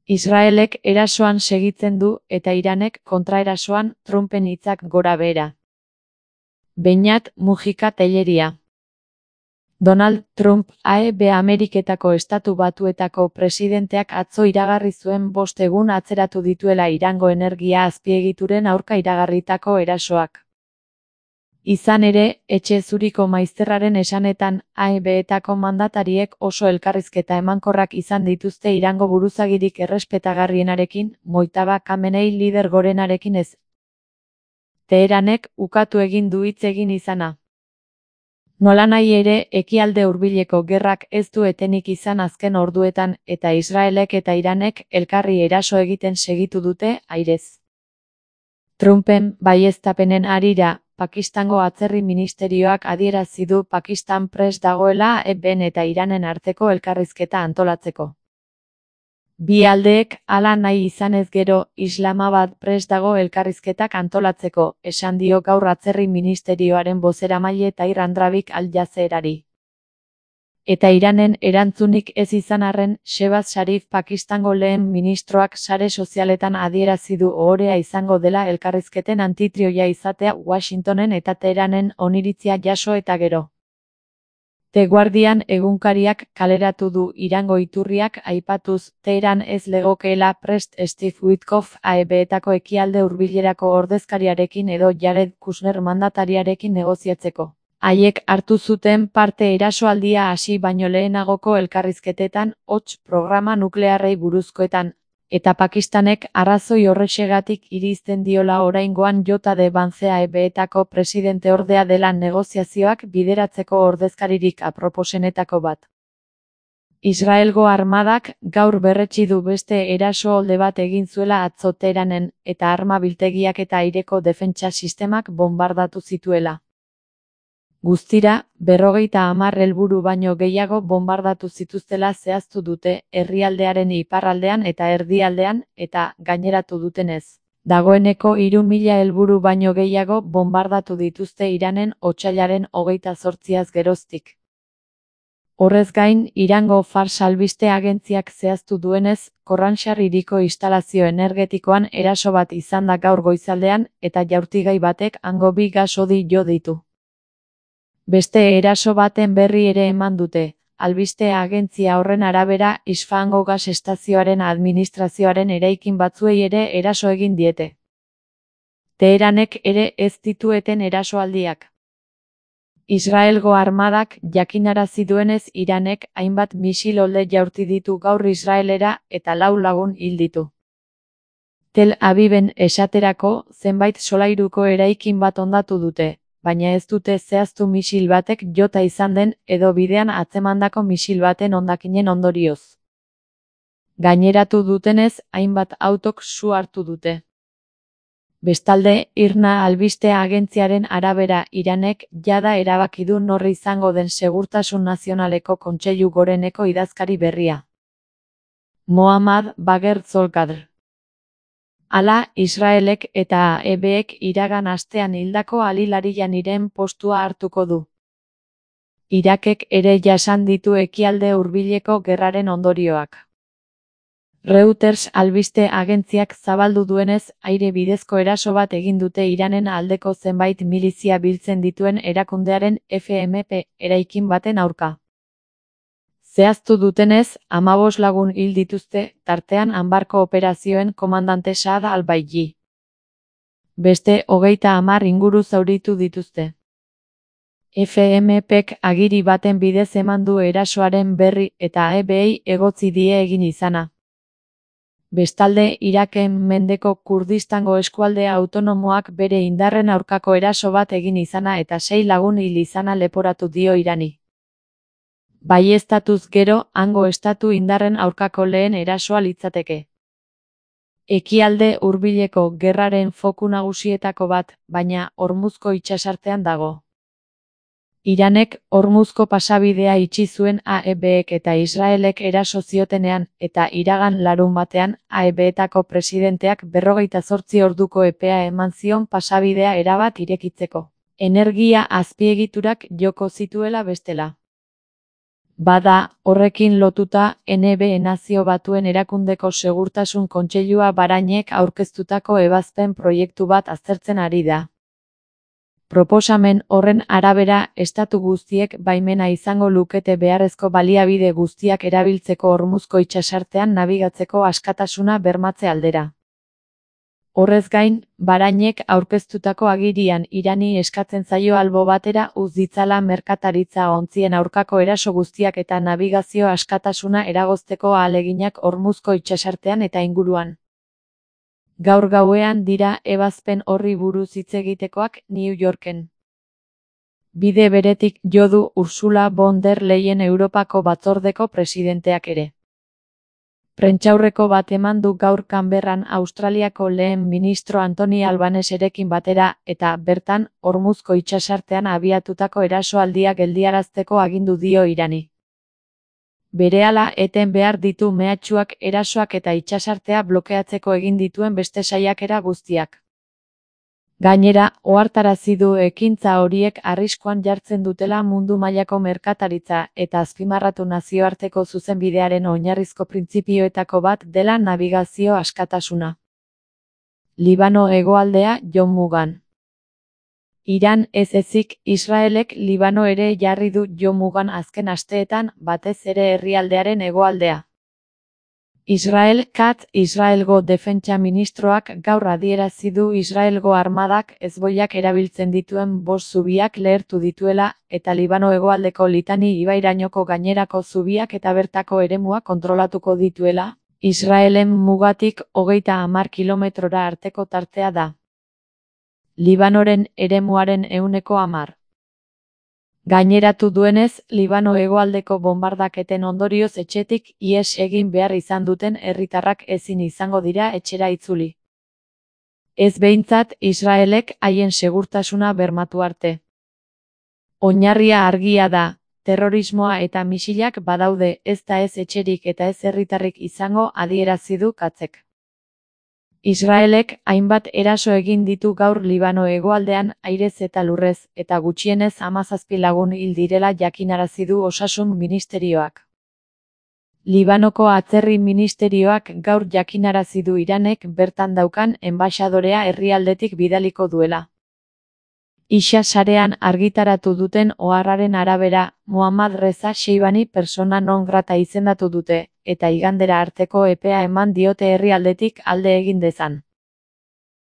Israelek erasoan segitzen du eta Iranek kontraerasoan, Trumpen hitzak gora behera. Beñat Mujika Telleria. Donald Trump AEB Ameriketako Estatu Batuetako presidenteak atzo iragarri zuen 5 egun atzeratu dituela Irango energia azpiegituren aurka iragarritako erasoak. Izan ere, Etxe Zuriko maizterraren esanetan, AEB-etako mandatariek oso elkarrizketa emankorrak izan dituzte Irango buruzagirik errespetagarrienarekin, Mojtaba Khamenei lider gorenarekin ez. Teheranek ukatu egin du hitz egin izana. Nolanahi ere, Ekialde Hurbileko gerrak ez du etenik izan azken orduetan eta Israelek eta Iranek elkarri eraso egiten segitu dute, airez. Trumpen baieztapenen harira, Pakistango atzerri ministerioak adierazi du Pakistan prest dagoela AEB-en eta Iranen arteko elkarrizketa antolatzeko. Bi aldeek hala nahi izanez gero, Islamabad prest dago elkarrizketak antolatzeko, esan dio gaur atzerri ministerioaren bozeramaile Tahir Andrabik Al Jazeerari. Eta Iranen erantzunik ez izan arren, Shehbaz Sharif Pakistango lehen ministroak sare sozialetan adierazi du ohorea izango dela elkarrizketen anfitrioia izatea Washingtonen eta Teheranen oniritzia jaso eta gero. The Guardian egunkariak kaleratu du Irango iturriak aipatuz, Teheran ez legokeela prest Steve Witkoff AEB-etako Ekialde Hurbilerako ordezkariarekin edo Jared Kushner mandatariarekin negoziatzeko. Haiek hartu zuten parte erasoaldia hasi baino lehenagoko elkarrizketetan, hots programa nuklearrei buruzkoetan, eta Pakistanek arrazoi horrexegatik irizten diola oraingoan J.D. Vance AEB-etako presidenteordea dela negoziazioak bideratzeko ordezkaririk aproposenetako bat. Israelgo armadak gaur berretsi du beste erasoaldi bat egin zuela atzo Teheranen eta arma biltegiak eta aireko defentsa sistemak bonbardatu zituela. Guztira, 50 helburu baino gehiago bonbardatu zituztela zehaztu dute herrialdearen iparraldean eta erdialdean eta gaineratu dutenez. Dagoeneko 3000 helburu baino gehiago bonbardatu dituzte Iranen otsailaren 28az geroztik. Horrez gain, Irango Fars albiste agentziak zehaztu duenez, Khorramshahr hiriko instalazio energetikoan eraso bat izan da gaur goizaldean eta jaurtigai batek hango 2 gas hodi jo ditu. Beste eraso baten berri ere eman dute, albiste agentzia horren arabera Isfahango gas estazioaren administrazioaren eraikin batzuei ere eraso egin diete. Teheranek ere ez ditueten erasoaldiak. Israelgo armadak jakinarazi duenez Iranek hainbat misil olde jaurti ditu gaur Israelera eta 4 lagun hil ditu. Tel Aviven esaterako zenbait solairuko eraikin bat hondatu dute, baina ez dute zehaztu misil batek jota izan den edo bidean atzemandako misil baten hondakinen ondorioz. Gaineratu dutenez, hainbat autok su hartu dute. Bestalde, IRNA albiste agentziaren arabera Iranek jada erabaki du nor izango den Segurtasun Nazionaleko Kontseilu Goreneko idazkari berria. Mohammad Bagher Zolkadr. Hala, Israelek eta AEB-ek iragan astean hildako Ali Larijaniren postua hartuko du. Irakek ere jasan ditu Ekialde Hurbileko gerraren ondorioak. Reuters albiste agentziak zabaldu duenez, aire bidezko eraso bat egin dute Iranen aldeko zenbait milizia biltzen dituen erakundearen FMP eraikin baten aurka. Zehaztu dutenez, 15 lagun hil dituzte, tartean Anbarko operazioen komandante Saad al-Baiji. Beste 30 inguru zauritu dituzte. FMPk agiri baten bidez eman du erasoaren berri eta AEB-ei egotzi die egin izana. Bestalde, Iraken mendeko Kurdistango eskualde autonomoak bere indarren aurkako eraso bat egin izana eta 6 lagun hil izana leporatu dio Irani. Baieztatuz gero, hango estatu indarren aurkako lehen erasoa litzateke. Ekialde Hurbileko gerraren foku nagusietako bat, baina Hormuzko itsasartean dago. Iranek Hormuzko pasabidea itxi zuen AEB-ek eta Israelek eraso ziotenean eta iragan larunbatean AEB-etako presidenteak 48 orduko epea eman zion pasabidea erabat irekitzeko. Energia azpiegiturak joko zituela bestela. Bada, horrekin lotuta, NB Nazio Batuen Erakundeko Segurtasun Kontseilua Bahranek aurkeztutako ebazpen proiektu bat aztertzen ari da. Proposamen horren arabera, estatu guztiek baimena izango lukete beharrezko baliabide guztiak erabiltzeko Hormuzko itsasartean nabigatzeko askatasuna bermatze aldera. Horrez gain, Bahranek aurkeztutako agirian Irani eskatzen zaio albo batera utz ditzala merkataritza ontzien aurkako eraso guztiak eta nabigazio askatasuna eragozteko ahaleginak Hormuzko itsasartean eta inguruan. Gaur gauean dira ebazpen horri buruz hitz egitekoak New Yorken. Bide beretik jo du Ursula von der Leyen Europako Batzordeko presidenteak ere. Prentsaurreko bat eman du gaur Canberran Australiako lehen ministro Anthony Albaneserekin batera eta bertan Hormuzko itsasartean abiatutako erasoaldia geldiarazteko agindu dio Irani. Berehala eten behar ditu mehatxuak, erasoak eta itsasartea blokeatzeko egin dituen beste saiakera guztiak. Gainera, ohartarazi du ekintza horiek arriskuan jartzen dutela mundu mailako merkataritza eta azpimarratu nazioarteko zuzenbidearen oinarrizko printzipioetako bat dela nabigazio askatasuna. Libano hegoaldea jo mugan. Iran ez ezik, Israelek Libano ere jarri du jo mugan azken asteetan, batez ere herrialdearen hegoaldea. Israelgo defentsa ministroak gaur adierazi du Israelgo armadak hezboiak erabiltzen dituen 5 zubiak lehertu dituela, eta Libano hegoaldeko Litani ibairainoko gainerako zubiak eta bertako eremua kontrolatuko dituela, Israelen mugatik 30 kilometrora arteko tartea da. Libanoren eremuaren 10%. Gaineratu duenez, Libano hegoaldeko bonbardaketen ondorioz etxetik ihes egin behar izan duten herritarrak ezin izango dira etxera itzuli. Ez behintzat Israelek haien segurtasuna bermatu arte. Oinarria argia da, terrorismoa eta misilak badaude, ez da ez etxerik eta ez herritarrik izango adierazi du Katzek. Israelek hainbat eraso egin ditu gaur Libano hegoaldean airez eta lurrez, eta gutxienez 17 lagun hil direla jakinarazi du Osasun Ministerioak. Libanoko Atzerri Ministerioak gaur jakinarazi du Iranek bertan daukan enbaxadorea herrialdetik bidaliko duela. Ixa sarean argitaratu duten oharraren arabera, Mohammad Reza Sheibani persona non grata izendatu dute, eta igandera arteko epea eman diote herrialdetik alde egin dezan.